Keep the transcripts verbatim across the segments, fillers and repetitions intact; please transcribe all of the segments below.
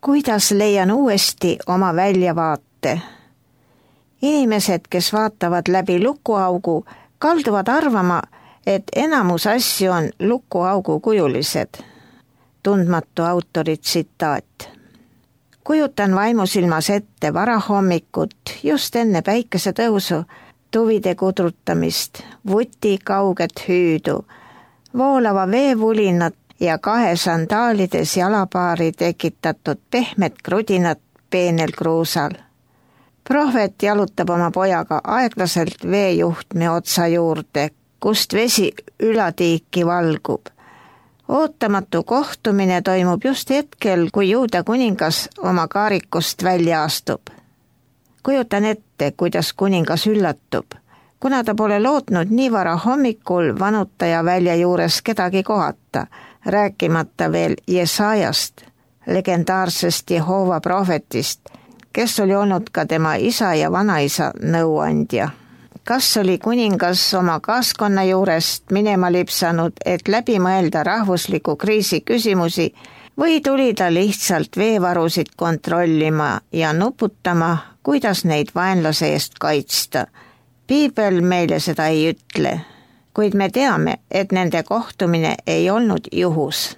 Kuidas leian uuesti oma väljavaate? Inimesed, kes vaatavad läbi lukuaugu, kalduvad arvama, et enamus asju on lukuaugu kujulised. Tundmatu autori tsitaat. Kujutan vaimusilmas ette varahommikut just enne päikesetõusu, tuvide kudrutamist, vuti kauget hüüdu, voolava veevulinat ja kahe sandaalides jalapaari tekitatud pehmet krudinat peenel kruusal. Prohvet jalutab oma pojaga aeglaselt veejuhtme otsa juurde, kust vesi ülatiiki valgub. Ootamatu kohtumine toimub just hetkel, kui Juuda kuningas oma kaarikust välja astub. Kujutan ette, kuidas kuningas üllatub, kuna ta pole lootnud nii vara hommikul vanutaja välja juures kedagi kohata, rääkimata veel Jesajast, legendaarsest Jehova prohvetist, kes oli olnud ka tema isa ja vanaisa nõuandja. Kas oli kuningas oma kaaskonna juurest minema lipsanud, et läbi mõelda rahvusliku kriisi küsimusi, või tuli ta lihtsalt veevarusid kontrollima ja nuputama, kuidas neid vaenlase eest kaitsta? Piibel meile seda ei ütle, kuid me teame, et nende kohtumine ei olnud juhus.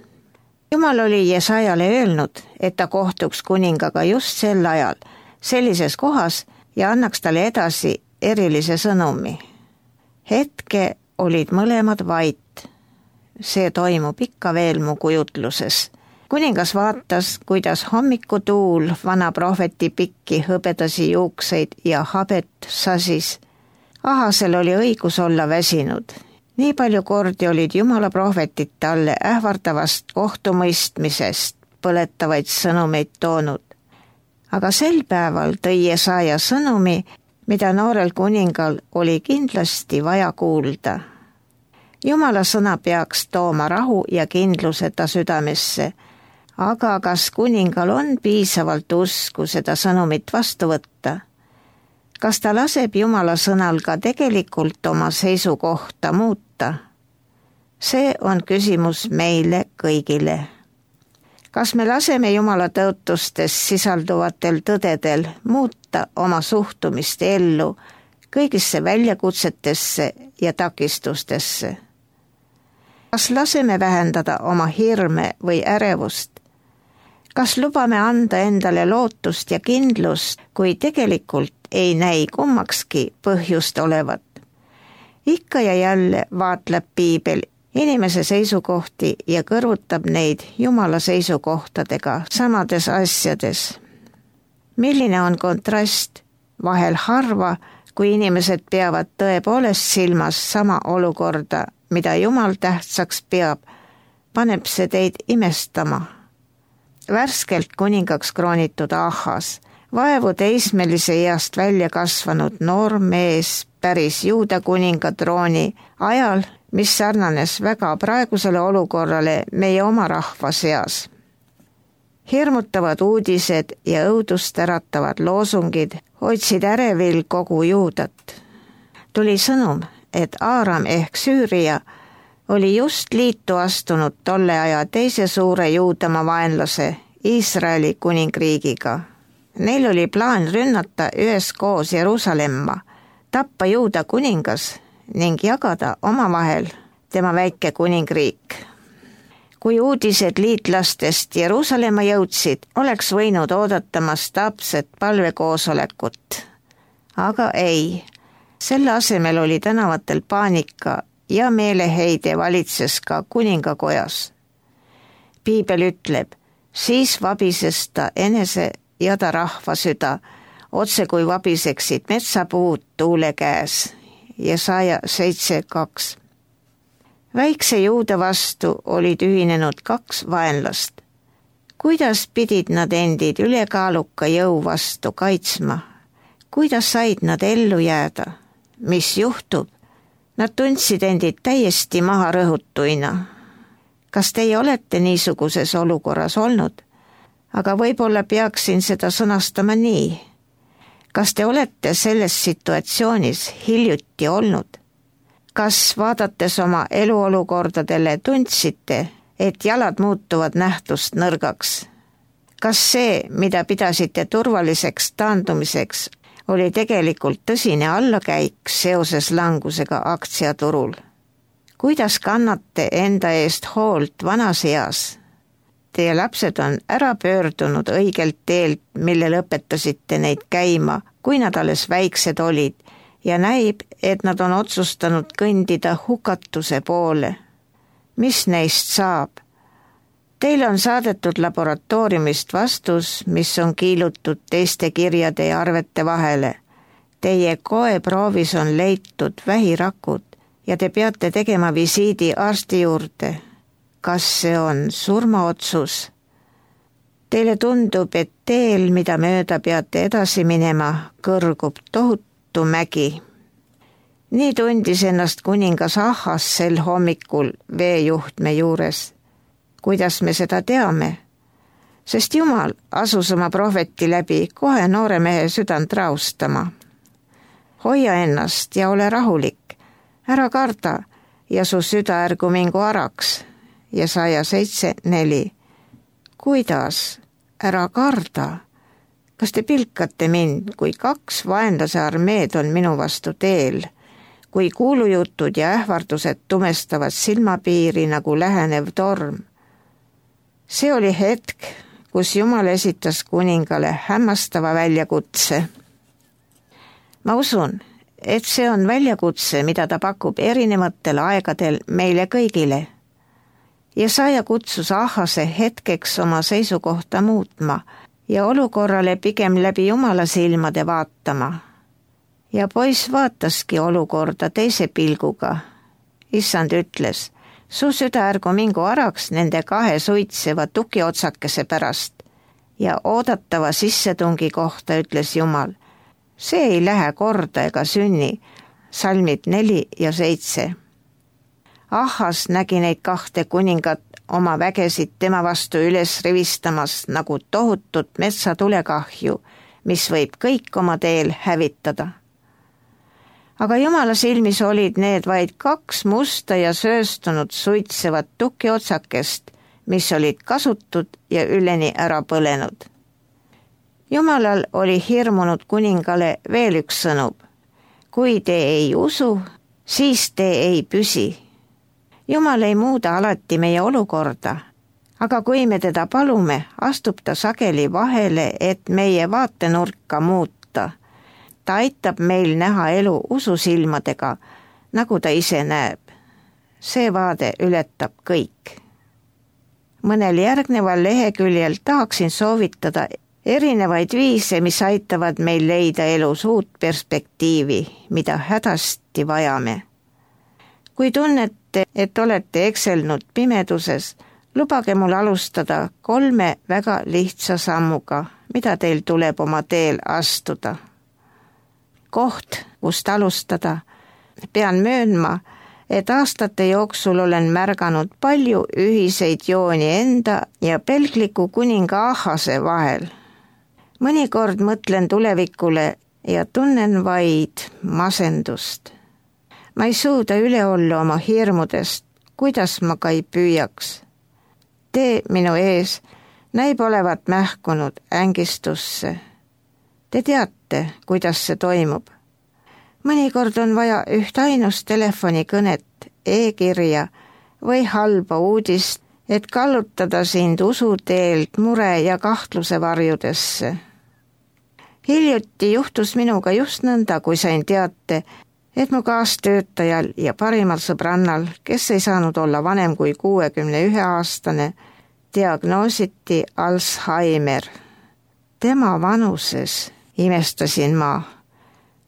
Jumal oli Jesajale öelnud, et ta kohtuks kuningaga just sel ajal, sellises kohas ja annaks talle edasi erilise sõnumi. Hetke olid mõlemad vait. See toimub ikka veel mu kujutluses. Kuningas vaatas, kuidas hommikutuul vana prohveti pikki hõbedasi juukseid ja habet sasis. Ahasel oli õigus olla väsinud. Nii palju kordi olid Jumala prohvetid talle ähvardavast kohtumõistmisest põletavaid sõnumeid toonud. Aga sel päeval tõi Jesaja sõnumi, mida noorel kuningal oli kindlasti vaja kuulda. Jumala sõna peaks tooma rahu ja kindluse ta südamesse, aga kas kuningal on piisavalt usku seda sõnumit vastu võtta? Kas ta laseb Jumala sõnal ka tegelikult oma seisukohta muuta? See on küsimus meile kõigile. Kas me laseme Jumala tõotustes sisalduvatel tõdedel muuta oma suhtumist ellu kõigisse väljakutsetesse ja takistustesse? Kas laseme vähendada oma hirme või ärevust? Kas lubame anda endale lootust ja kindlust, kui tegelikult ei näi kummakski põhjust olevat? Ikka ja jälle vaatleb Piibel inimese seisukohti ja kõrvutab neid Jumala seisukohtadega samades asjades. Milline on kontrast? Vahel harva, kui inimesed peavad tõepoolest silmas sama olukorda, mida Jumal tähtsaks peab, paneb see teid imestama. Värskelt kuningaks kroonitud Ahas, vaevu teismelise east välja kasvanud noor mees päris Juuda kuninga trooni ajal, mis sarnanes väga praegusele olukorrale meie oma rahva seas. Hirmutavad uudised ja õudust äratavad loosungid hoidsid ärevil kogu Juudat. Tuli sõnum, et Aaram ehk Süüria oli just liitu astunud tolle aja teise suure Juudamaa vaenlase Iisraeli kuningriigiga. Neil oli plaan rünnata üheskoos Jeruusalemma, tappa Juuda kuningas ning jagada omavahel tema väike kuningriik. Kui uudised liitlastest Jeruusalemma jõudsid, oleks võinud oodata mastaapset palvekoosolekut. Aga ei, selle asemel oli tänavatel paanika ja meeleheide valitses ka kuningakojas. Piibel ütleb, siis vabises ta enese ja ta rahva süda, otse kui vabiseksid metsapuud tuule käes. Jesaja seitse kaks. Väikse Juuda vastu olid ühinenud kaks vaenlast. Kuidas pidid nad endid ülekaaluka jõu vastu kaitsma? Kuidas said nad ellu jääda? Mis juhtub? Nad tundsid endid täiesti maha rõhutuina. Kas teie olete niisuguses olukorras olnud? Aga võib-olla peaksin seda sõnastama nii. Kas te olete selles situatsioonis hiljuti olnud? Kas vaadates oma eluolukordadele tundsite, et jalad muutuvad nähtust nõrgaks? kas see, mida pidasite turvaliseks taandumiseks, oli tegelikult tõsine allakäik seoses langusega aktsiaturul? Kuidas kannate enda eest hoolt vanas eas? Teie lapsed on ära pöördunud õigelt teelt, mille lõpetasite neid käima, kui nad alles väiksed olid, ja näib, et nad on otsustanud kõndida hukatuse poole. Mis neist saab? Teile on saadetud laboratooriumist vastus, mis on kiilutud teiste kirjade ja arvete vahele. Teie koeproovis on leitud vähirakud ja te peate tegema visiidi arsti juurde. Kas see on surmaotsus? Teile tundub, et teel, mida mööda peate edasi minema, kõrgub tohutu mägi. Nii tundis ennast kuningas Ahas sel hommikul veejuhtme juures. Kuidas me seda teame? Sest Jumal asus oma prohveti läbi kohe noore mehe südant raustama. Hoia ennast ja ole rahulik, ära karda ja su süda ärgu mingu araks. Jesaja seitse neli. Kuidas? Ära karda. Kas te pilkate mind, kui kaks vaenlase armeed on minu vastu teel, kui kuulujutud ja ähvardused tumestavad silmapiiri nagu lähenev torm? See oli hetk, kus Jumal esitas kuningale hämmastava väljakutse. Ma usun, et see on väljakutse, mida ta pakub erinevatel aegadel meile kõigile. Jesaja kutsus Ahase hetkeks oma seisukohta muutma ja olukorrale pigem läbi Jumala silmade vaatama. Ja poiss vaataski olukorda teise pilguga. Issand ütles, su süda ärgu mingu araks nende kahe suitseva tukiotsakese pärast ja oodatava sissetungi kohta ütles Jumal. See ei lähe korda ega sünni, salmid neli ja seitse. Ahas nägi neid kahte kuningat oma vägesid tema vastu üles rivistamas nagu tohutut metsatulekahju, mis võib kõik oma teel hävitada. Aga Jumala silmis olid need vaid kaks musta ja sööstunud suitsevat tukiotsakest, mis olid kasutud ja üleni ära põlenud. Jumalal oli hirmunud kuningale veel üks sõnum. Kui te ei usu, siis te ei püsi. Jumal ei muuda alati meie olukorda, aga kui me teda palume, astub ta sageli vahele, et meie vaatenurka muuta. Ta aitab meil näha elu ususilmadega, nagu ta ise näeb. See vaade ületab kõik. Mõnel järgneval leheküljel tahaksin soovitada erinevaid viise, mis aitavad meil leida elus uut perspektiivi, mida hädasti vajame. Kui tunnete, et olete ekselnud pimeduses, lubage mul alustada kolme väga lihtsa sammuga, mida teil tuleb oma teel astuda. Koht, kust alustada. Pean möönma, et aastate jooksul olen märganud palju ühiseid jooni enda ja pelgliku kuninga Ahase vahel. Mõnikord mõtlen tulevikule ja tunnen vaid masendust. Ma ei suuda üle olla oma hirmudest, kuidas ma ka ei püüaks. Tee minu ees näib olevat mähkunud ängistusse. Te teate, kuidas see toimub. Mõnikord on vaja üht ainust telefonikõnet, e-kirja või halba uudist, et kallutada sind usuteelt mure ja kahtluse varjudesse. Hiljuti juhtus minuga just nõnda, kui sain teate, et mu kaastöötajal ja parimal sõbrannal, kes ei saanud olla vanem kui kuuekümne ühe aastane, diagnoositi Alzheimer. Tema vanuses imestasin ma.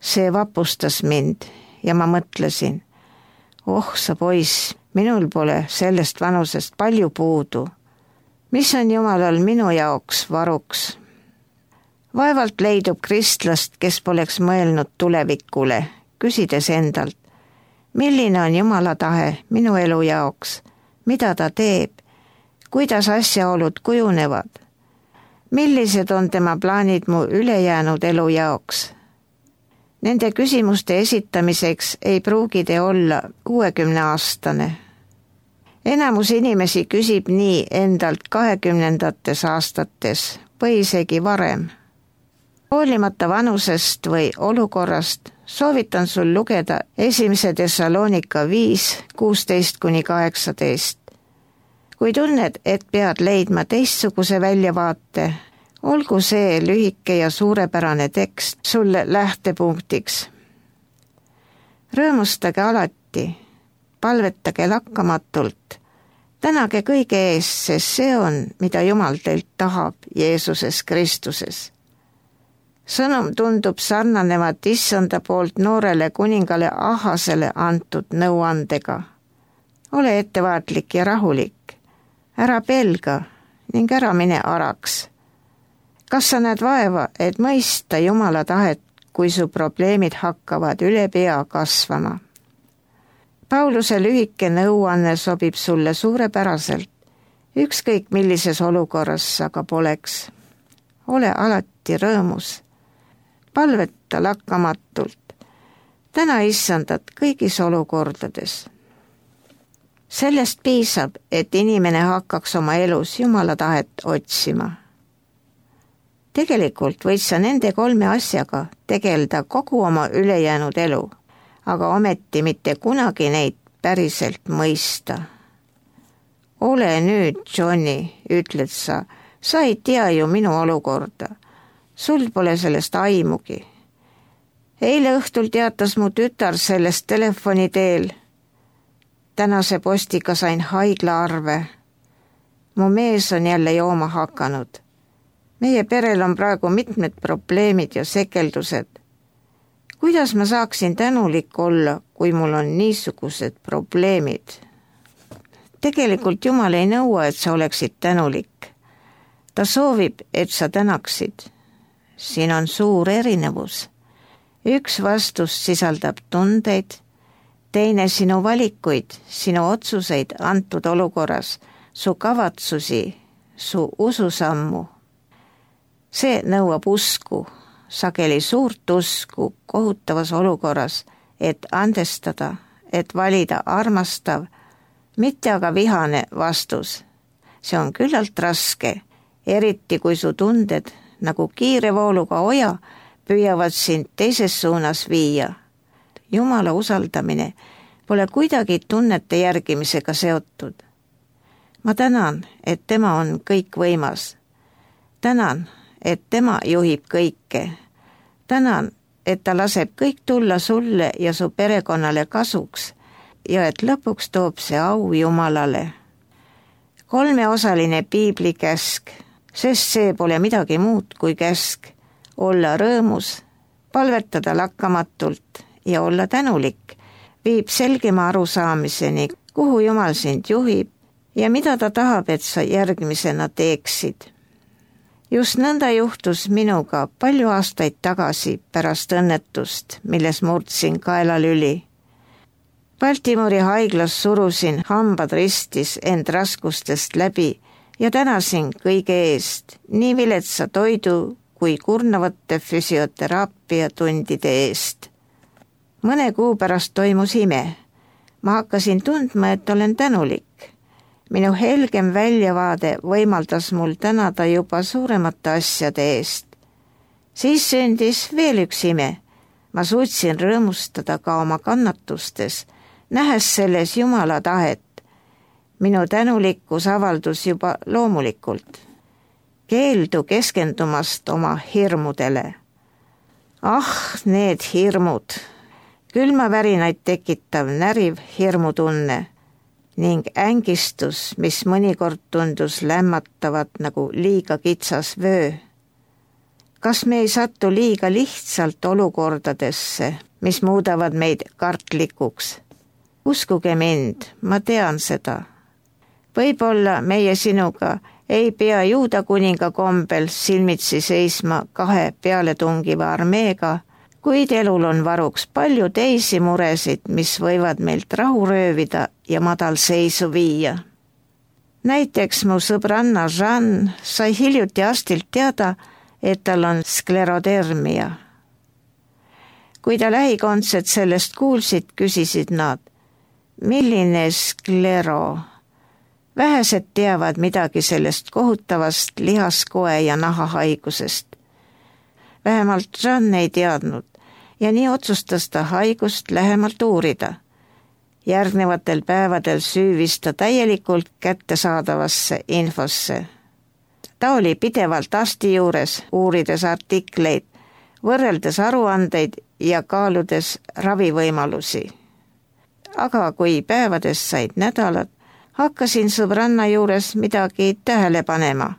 See vapustas mind ja ma mõtlesin, oh sa poiss, minul pole sellest vanusest palju puudu. Mis on Jumalal minu jaoks varuks? Vaevalt leidub kristlast, kes poleks mõelnud tulevikule, küsides endalt, milline on Jumala tahe minu elu jaoks, mida ta teeb, kuidas asjaolud kujunevad, millised on tema plaanid mu ülejäänud elu jaoks. Nende küsimuste esitamiseks ei pruugi te olla kuuekümne aastane. Enamus inimesi küsib nii endalt kahekümnendates aastates või isegi varem. Hoolimata vanusest või olukorrast soovitan sul lugeda esimese Thessalonika viis, kuusteist kuni kaheksateist. Kui tunned, et pead leidma teistsuguse väljavaate, olgu see lühike ja suurepärane tekst sulle lähtepunktiks. Rõõmustage alati, palvetage lakkamatult, tänage kõige ees, sest see on, mida Jumal teilt tahab Jeesuses Kristuses. Sõnum tundub sarnanevat issanda poolt noorele kuningale Ahasele antud nõuandega. Ole ettevaatlik ja rahulik, ära pelga ning ära mine araks. Kas sa näed vaeva, et mõista Jumala tahet, kui su probleemid hakkavad üle pea kasvama? Pauluse lühike nõuanne sobib sulle suurepäraselt, ükskõik millises olukorras sa ka poleks. Ole alati rõõmus, palveta lakkamatult, täna issandat kõigis olukordades. Sellest piisab, et inimene hakkaks oma elus Jumala tahet otsima. Tegelikult võid sa nende kolme asjaga tegeleda kogu oma ülejäänud elu, aga ometi mitte kunagi neid päriselt mõista. Ole nüüd, Johnny, ütled sa, sa ei tea ju minu olukorda. Sul pole sellest aimugi. Eile õhtul teatas mu tütar sellest telefoni teel. Tänase postiga sain haiglaarve. Mu mees on jälle jooma hakanud. Meie perel on praegu mitmed probleemid ja sekeldused. Kuidas ma saaksin tänulik olla, kui mul on niisugused probleemid? Tegelikult Jumal ei nõua, et sa oleksid tänulik. Ta soovib, et sa tänaksid. Siin on suur erinevus. Üks vastus sisaldab tundeid, teine sinu valikuid, sinu otsuseid antud olukorras, su kavatsusi, su ususammu. See nõuab usku, sageli suurt usku kohutavas olukorras, et andestada, et valida armastav, mitte aga vihane vastus. See on küllalt raske, eriti kui su tunded nagu kiire vooluga oja püüavad sind teises suunas viia. Jumala usaldamine pole kuidagi tunnete järgimisega seotud. Ma tänan, et tema on kõikvõimas. Tänan, et tema juhib kõike. Tänan, et ta laseb kõik tulla sulle ja su perekonnale kasuks ja et lõpuks toob see au Jumalale. Kolmeosaline piibli käsk, sest see pole midagi muud kui käsk, olla rõõmus, palvetada lakkamatult ja olla tänulik, viib selgema arusaamiseni, kuhu Jumal sind juhib ja mida ta tahab, et sa järgmisena teeksid. Just nõnda juhtus minuga palju aastaid tagasi pärast õnnetust, milles murdsin kaelalüli. Baltimori haiglas surusin hambad ristis end raskustest läbi ja tänasin kõige eest, nii viletsa toidu kui kurnavate füsioteraapia tundide eest. Mõne kuu pärast toimus ime. Ma hakkasin tundma, et olen tänulik. Minu helgem väljavaade võimaldas mul tänada juba suuremate asjade eest. Siis sündis veel üks ime. Ma suutsin rõõmustada ka oma kannatustes, nähes selles Jumala tahet. Minu tänulikkus avaldus juba loomulikult. Keeldu keskendumast oma hirmudele. Ah, need hirmud! Külmavärinaid tekitav näriv hirmutunne ning ängistus, mis mõnikord tundus lämmatavat nagu liiga kitsas vöö. Kas me ei satu liiga lihtsalt olukordadesse, mis muudavad meid kartlikuks? Uskuge mind, ma tean seda. Võib-olla meie sinuga ei pea Juuda kuninga kombel silmitsi seisma kahe pealetungiva armeega, kuid elul on varuks palju teisi muresid, mis võivad meilt rahu röövida ja madalseisu viia. Näiteks mu sõbranna Jean sai hiljuti arstilt teada, et tal on sklerodermia. Kui ta lähikondsed sellest kuulsid, küsisid nad, milline sklero, Vähesed teavad midagi sellest kohutavast lihaskoe ja nahahaigusest. Vähemalt Jean ei teadnud ja nii otsustas ta haigust lähemalt uurida. Järgnevatel päevadel süüvis ta täielikult kättesaadavasse infosse. Ta oli pidevalt arsti juures, uurides artikleid, võrreldes aruandeid ja kaaludes ravivõimalusi. Aga kui päevadest said nädalad, hakkasin sõbranna juures midagi tähele panema.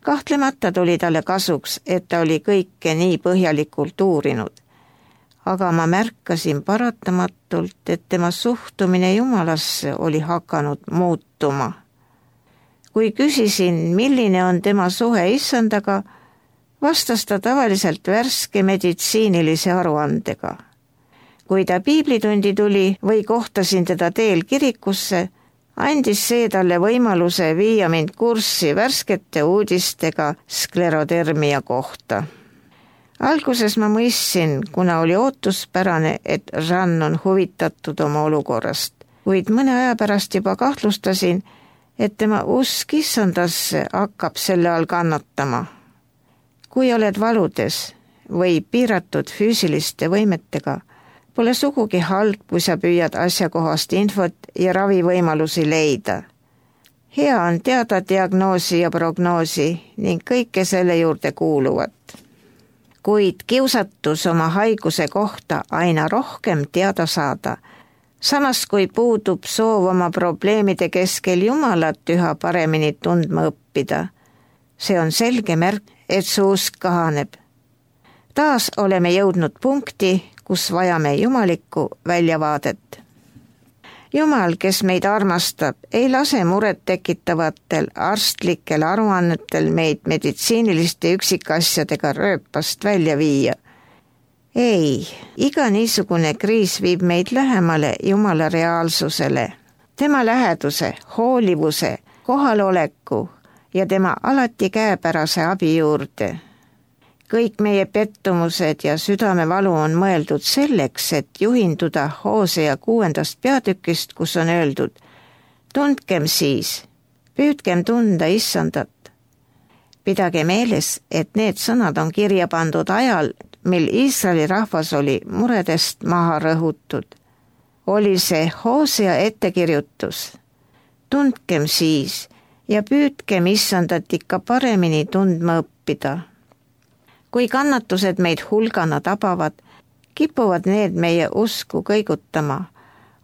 Kahtlemata tuli talle kasuks, et ta oli kõike nii põhjalikult uurinud. Aga ma märkasin paratamatult, et tema suhtumine Jumalasse oli hakanud muutuma. Kui küsisin, milline on tema suhe Issandaga, vastas ta tavaliselt värske meditsiinilise aruandega. Kui ta piiblitundi tuli või kohtasin teda teel kirikusse, andis see talle võimaluse viia mind kurssi värskete uudistega sklerodermia kohta. Alguses ma mõistsin, kuna oli ootuspärane, et Jean on huvitatud oma olukorrast, kuid mõne aja pärast juba kahtlustasin, et tema usk Issandasse hakkab selle all kannatama. Kui oled valudes või piiratud füüsiliste võimetega, pole sugugi halb, kui sa püüad asjakohast infot ja ravivõimalusi leida. Hea on teada diagnoosi ja prognoosi ning kõike selle juurde kuuluvat. Kuid kiusatus oma haiguse kohta aina rohkem teada saada, samas kui puudub soov oma probleemide keskel Jumalat üha paremini tundma õppida. See on selge märk, et su usk kahaneb. Taas oleme jõudnud punkti, kus vajame jumalikku väljavaadet. Jumal, kes meid armastab, ei lase muret tekitavatel arstlikel aruannetel meid meditsiiniliste üksikasjadega rööpast välja viia. Ei, iga niisugune kriis viib meid lähemale Jumala reaalsusele, tema läheduse, hoolivuse, kohaloleku ja tema alati käepärase abi juurde. Kõik meie pettumused ja südamevalu on mõeldud selleks, et juhinduda Hoosea kuuendast peatükist, kus on öeldud: tundkem siis, püüdkem tunda Issandat. Pidage meeles, et need sõnad on kirja pandud ajal, mil Iisraeli rahvas oli muredest maha rõhutud. Oli see Hoosea ettekirjutus. Tundkem siis ja püüdkem Issandat ikka paremini tundma õppida. Kui kannatused meid hulgana tabavad, kipuvad need meie usku kõigutama,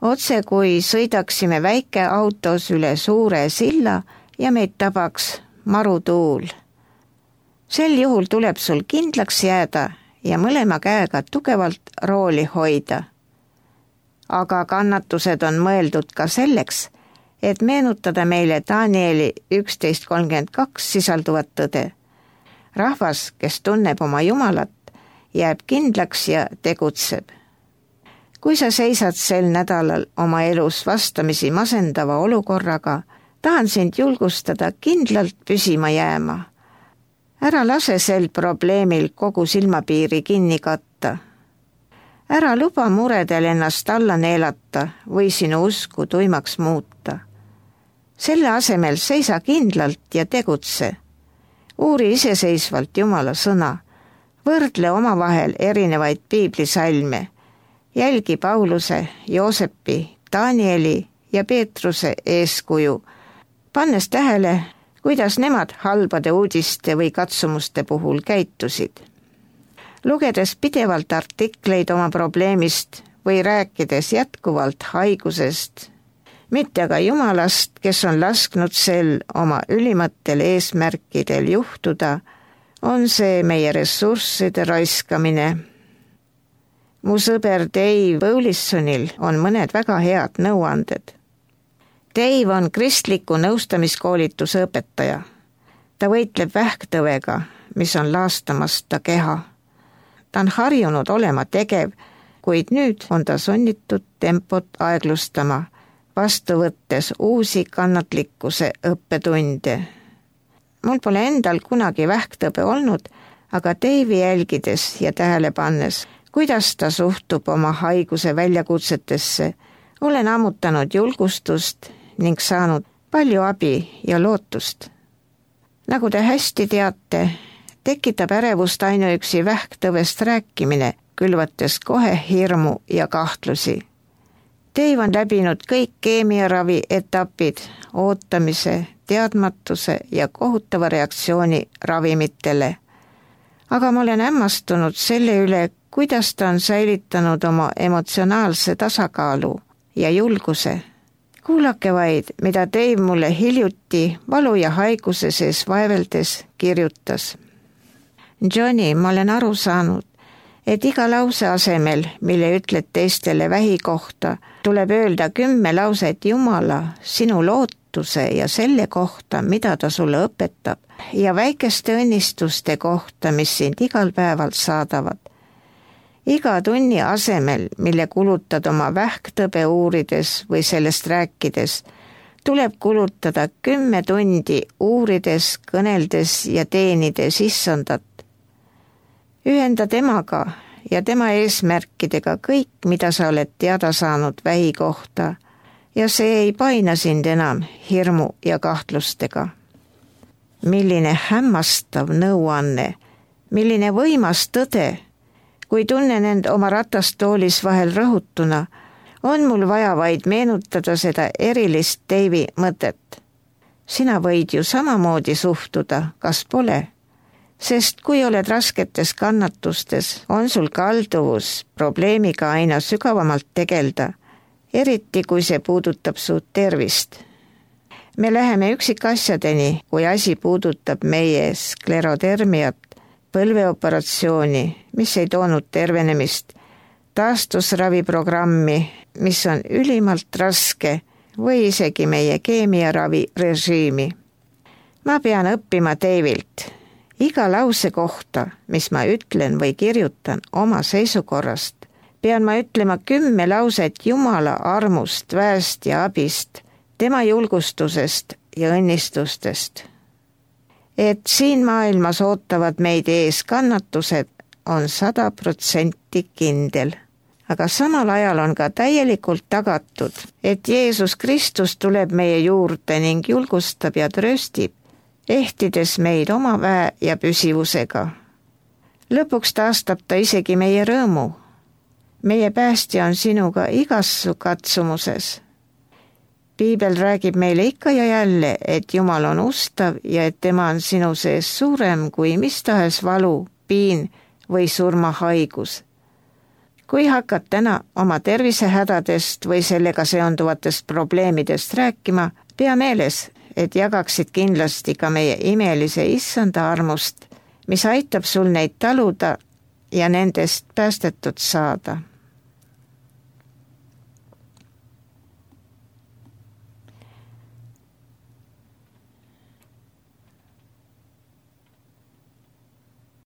otse kui sõidaksime väike autos üle suure silla ja meid tabaks marutuul. Sel juhul tuleb sul kindlaks jääda ja mõlema käega tugevalt rooli hoida. Aga kannatused on mõeldud ka selleks, et meenutada meile Danieli üksteist kolmkümmend kaks sisalduvat tõde. Rahvas, kes tunneb oma Jumalat, jääb kindlaks ja tegutseb. Kui sa seisad sel nädalal oma elus vastamisi masendava olukorraga, tahan sind julgustada kindlalt püsima jääma. Ära lase sel probleemil kogu silmapiiri kinni katta. Ära luba muredel ennast alla neelata või sinu usku tuimaks muuta. Selle asemel seisa kindlalt ja tegutse. Uuri iseseisvalt Jumala sõna, võrdle omavahel erinevaid piiblisalme, jälgi Pauluse, Joosepi, Danieli ja Peetruse eeskuju, pannes tähele, kuidas nemad halbade uudiste või katsumuste puhul käitusid. Lugedes pidevalt artikleid oma probleemist või rääkides jätkuvalt haigusest, mitte aga Jumalast, kes on lasknud sel oma ülimatel eesmärkidel juhtuda, on see meie ressursside raiskamine. Mu sõber Dave Bowlisonil on mõned väga head nõuanded. Dave on kristliku nõustamiskoolituse õpetaja. Ta võitleb vähktõvega, mis on laastamas ta keha. Ta on harjunud olema tegev, kuid nüüd on ta sunnitud tempot aeglustama, vastu võttes uusi kannatlikkuse õppetunde. Mul pole endal kunagi vähktõbe olnud, aga Dave'i jälgides ja tähele pannes, kuidas ta suhtub oma haiguse väljakutsetesse, olen ammutanud julgustust ning saanud palju abi ja lootust. Nagu te hästi teate, tekitab ärevust ainuüksi vähktõvest rääkimine, külvates kohe hirmu ja kahtlusi. Dave on läbinud kõik keemiaravi etapid, ootamise, teadmatuse ja kohutava reaktsiooni ravimitele. Aga ma olen hämmastunud selle üle, kuidas ta on säilitanud oma emotsionaalse tasakaalu ja julguse. Kuulake vaid, mida Dave mulle hiljuti valu ja haiguse sees vaeveldes kirjutas. Johnny, ma olen aru saanud, et iga lause asemel, mille ütled teistele vähi kohta, tuleb öelda kümme lauset Jumala, sinu lootuse ja selle kohta, mida ta sulle õpetab, ja väikeste õnnistuste kohta, mis sind igal päeval saadavad. Iga tunni asemel, mille kulutad oma vähktõbe uurides või sellest rääkides, tuleb kulutada kümme tundi uurides, kõneldes ja teenides issandat. Ühenda temaga ja tema eesmärkidega kõik, mida sa oled teada saanud vähi kohta, ja see ei paina sind enam hirmu ja kahtlustega. Milline hämmastav nõuanne, milline võimas tõde. Kui tunnen end oma ratastoolis vahel rõhutuna, on mul vaja vaid meenutada seda erilist Dave'i mõtet. Sina võid ju samamoodi suhtuda, kas pole? Sest kui oled rasketes kannatustes, on sul kalduvus probleemiga aina sügavamalt tegelda, eriti kui see puudutab su tervist. Me läheme üksikasjadeni, kui asi puudutab meie sklerodermiat, põlveoperatsiooni, mis ei toonud tervenemist, taastusraviprogrammi, mis on ülimalt raske, või isegi meie keemiaravi režiimi. Ma pean õppima Davilt. Iga lause kohta, mis ma ütlen või kirjutan oma seisukorrast, pean ma ütlema kümme lauset Jumala armust, väest ja abist, tema julgustusest ja õnnistustest. Et siin maailmas ootavad meid ees kannatused, on sada protsenti kindel. Aga samal ajal on ka täielikult tagatud, et Jeesus Kristus tuleb meie juurde ning julgustab ja trööstib, ehtides meid oma väe ja püsivusega. Lõpuks taastab ta isegi meie rõõmu. Meie päästja on sinuga igas su katsumuses. Piibel räägib meile ikka ja jälle, et Jumal on ustav ja et tema on sinu sees suurem kui mis tahes valu, piin või surmahaigus. Kui hakkad täna oma tervisehädadest või sellega seonduvatest probleemidest rääkima, pea meeles, et jagaksid kindlasti ka meie imelise issanda armust, mis aitab sul neid taluda ja nendest päästetud saada.